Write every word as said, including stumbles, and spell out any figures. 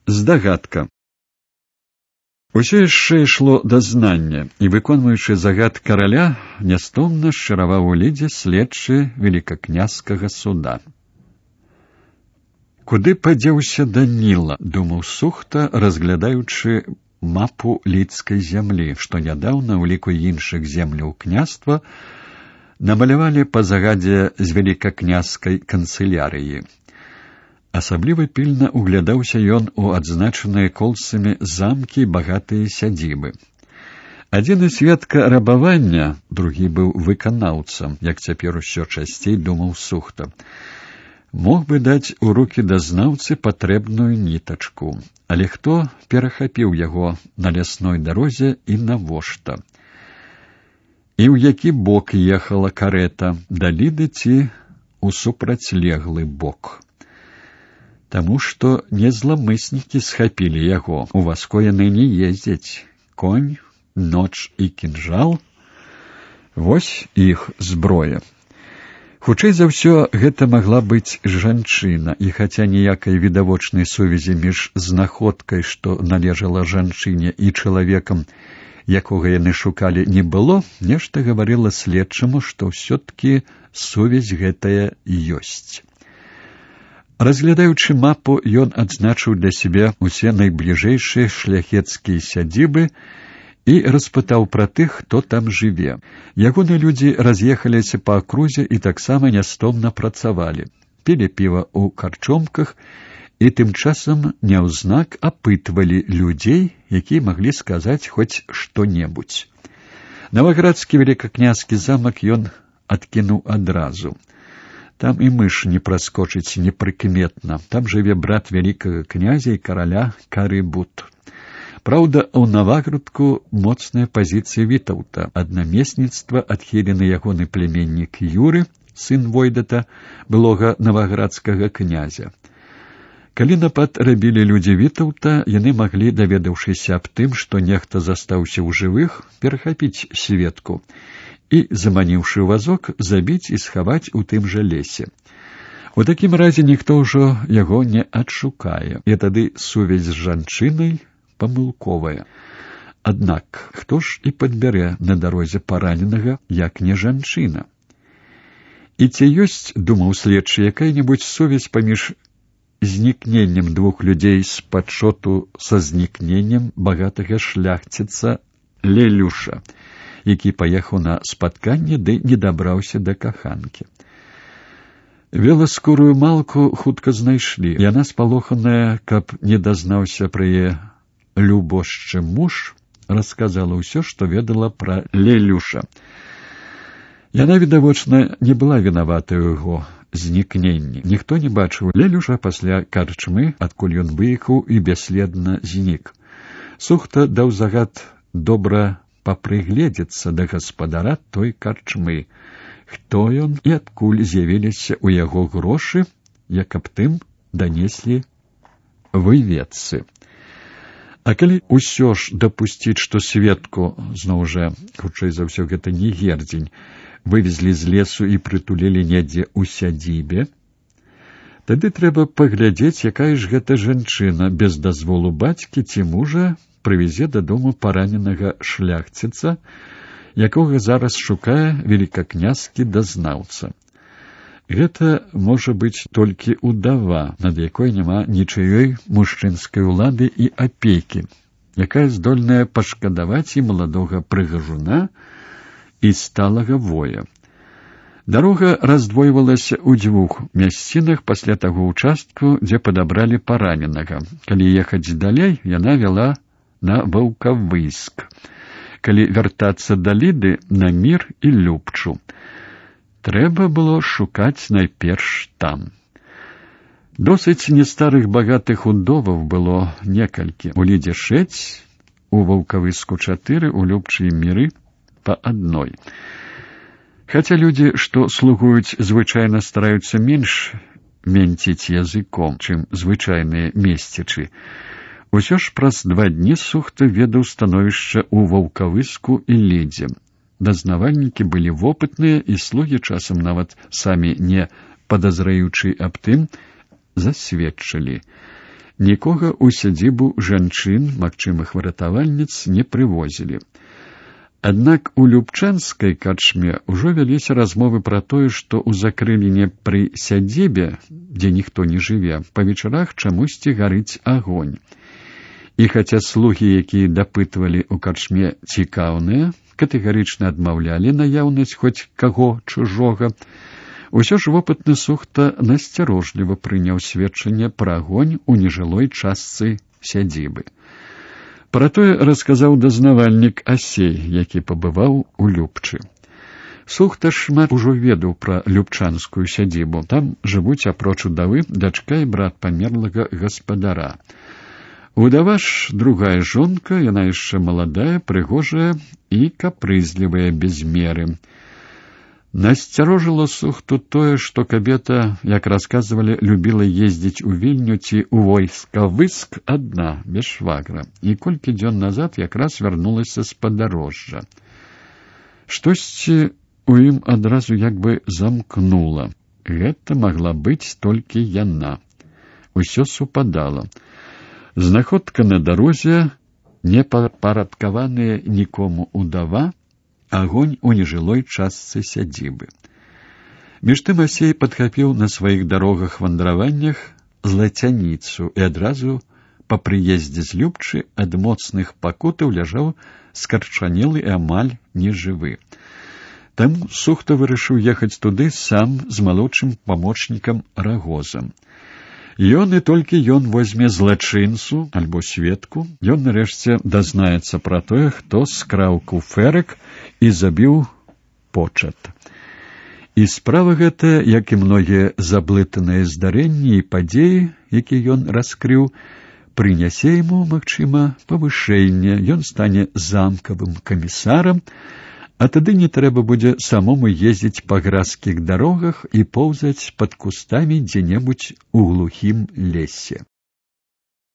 Здагадка. Усё яшчэ ішло дазнання, і, выконваючы загад караля, нястомна шчыраваў у лідзе следчы велікакняскага суда. Куды падзеўся Даніла, думаў Сухта, разглядаючы мапу лідскай зямлі, што нядаўна ў ліку іншых земляў княства намалявалі па загадзе з велікакняскай канцылярыі. Асабліва пільна углядаўся ён у адзначаныя колцамі замкі і багатыя сядзібы. Адзін і сведка рабавання, другі быў выканаўцам, як цяпер усё часцей думаў Сухта. Мог бы даць у рукі дазнаўцы патрэбную нітачку, але хто перахапіў яго на лясной дарозе і навошта? І ў які бок ехала карэта, да Ліды ці ў супрацьлеглы бок? Таму што не зламыснікі схапілі яго, у васко яны не ездзяць. Конь, ноч і кінжал — вось іх зброя. Хутчэй за ўсё, гэта магла быць жанчына, і хаця ніякай відавочнай сувязі між знаходкай, што належала жанчыне, і чалавекам, якога яны шукалі, не было, нешта гаварыла следчаму, што ўсё-ткі сувязь гэтая ёсць. Разглядаючы мапу, ён адзначыў для сябе усе найбліжэйшыя шляхецкія сядзібы і распытаў пра тых, хто там жыве. Ягоныя людзі раз'ехаліся па акрузе і таксама нястомна працавалі, пілі піва ў карчомках і тым часам няўзнак апытвалі людзей, якія маглі сказаць хоць што-небудзь. Наваградскі велікакняскі замак ён адкінуў адразу. Там і мыш не праскочыць непрыкметна. Там жыве брат вялікага князя і караля Карыбут. Праўда, у Наваградку моцная пазіцыя Вітаўта. Аднамесніцтва адхілены ягоны племяннік Юры, сын Войдата, былога наваградскага князя. Калі напад рабілі людзі Вітаўта, яны маглі, даведаўшыся аб тым, што нехта застаўся ў жывых, перахапіць сведку і, заманіўшы вазок, забіць і схаваць у тым жа лесе. У такім разе ніхто ўжо яго не адшукае, і тады сувязь з жанчынай памылковая. Аднак, хто ж і падбярэ на дарозе параненага, як не жанчына? І ці ёсць, думаў следчы, якая-небудзь сувязь паміж знікненнем двух людзей з падшоту са знікненнем багатага шляхціца Лелюша, які паехаў на спатканне, ды не дабраўся да каханкі. Веласкурую малку хутка знайшлі. Яна, спалоханая, каб не дазнаўся пра яе любошчы муж, расказала ўсё, што ведала пра Лелюша. Яна, відавочна, не была вінаватая ў яго знікненні. Ніхто не бачыў Лелюша пасля карчмы, адкуль ён выехаў і бясследна знік. Сухта даў загад добра папрыгледзецца да гаспадара той карчмы, хто ён і адкуль з'явіліся ў яго грошы, як аб тым данеслі выведцы. А калі ўсё ж дапусціць, што сведку, зноў жа, хутчэй за ўсё, гэта не гердзень, вывезлі з лесу і прытулілі недзе ў сядзібе, тады трэба паглядзець, якая ж гэта жанчына без дазволу бацькі ці мужа прывезе дадому параненага шляхціца, якога зараз шукае велікакняскі дазнаўца. Гэта можа быць толькі удава, над якой няма нічыёй мужчынскай улады і апекі, якая здольная пашкадаваць і маладога прыгажуна, і сталага воя. Дарога раздвойвалася ў дзвюх мясцінах пасля таго ўчастку, дзе падабралі параненага. Калі ехаць далей, яна вяла на Ваўкавыск. Калі вяртацца да Ліды, на Мір і Любчу. Трэба было шукаць найперш там. Досыць нестарых багатых удоваў было некалькі. У Лідзе шэць, у Ваўкавыску чатыры, у Любчы і Міры па адной. Хаця людзі, што слугуюць, звычайна стараюцца менш менціць языком, чым звычайныя месцічы. Усё ж праз два дні Сухта ведаў становішча ў Ваўкавыску і Лідзе. Дазнавальнікі былі вопытныя, і слугі часам нават самі не падазраючы аб тым, засведчылі. Нікога ў сядзібу жанчын, магчымых выратавальніц, не прывозілі. Аднак у любчанскай карчме ўжо вяліся размовы пра тое, што ў закрыліне пры сядзібе, дзе ніхто не жыве, па вечарах чамусьці гарыць агонь. І хаця слугі, якія дапытвалі ў карчме цікаўныя, катэгарычна адмаўлялі наяўнасць хоць каго чужога, усё ж вопытны Сухта насцярожліва прыняў сведчанне пра агонь у нежылой частцы сядзібы. Пра тое расказаў дазнавальнік Асей, які пабываў у Любчы. Сухта шмат ужо ведаў пра любчанскую сядзібу. Там жывуць апроч удавы дачка і брат памерлага гаспадара. Удава ж другая жонка, яна яшчэ маладая, прыгожая і капрызлівая без меры. Насцярожыла Сухту тое, што кабета, як расказвалі, любіла ездзіць у Вільню ці ў войска-выск адна, без швагра, і колькі дзён назад якраз вярнулася з падарожжа. Штосьці у ім адразу як бы замкнула. Гэта магла быць толькі яна. Усё супадала. Знаходка на дарозе, непапарадкаваная нікому удава, агонь у нежылой частцы сядзібы. Між тым Асей падхапіў на сваіх дарогах-вандраваннях злацяніцу і адразу па прыездзе з Любчы ад моцных пакутаў ляжаў скарчанелы і амаль нежывы. Таму Сухта вырашыў ехаць туды сам з малодшым памочнікам Рагозам. Ён і толькі ён возьме злачынцу альбо сведку, ён нарэшце дазнаецца пра тое, хто скраў куфэрак і забіў почат. І справа гэтая, як і многія заблытаныя здарэнні і падзеі, якія ён раскрыў, прынясе яму, магчыма, павышэнне, ён стане замкавым камісарам, а тады не трэба будзе самому ездзіць па гразкіх дарогах і поўзаць пад кустамі дзе-небудзь у глухім лесе.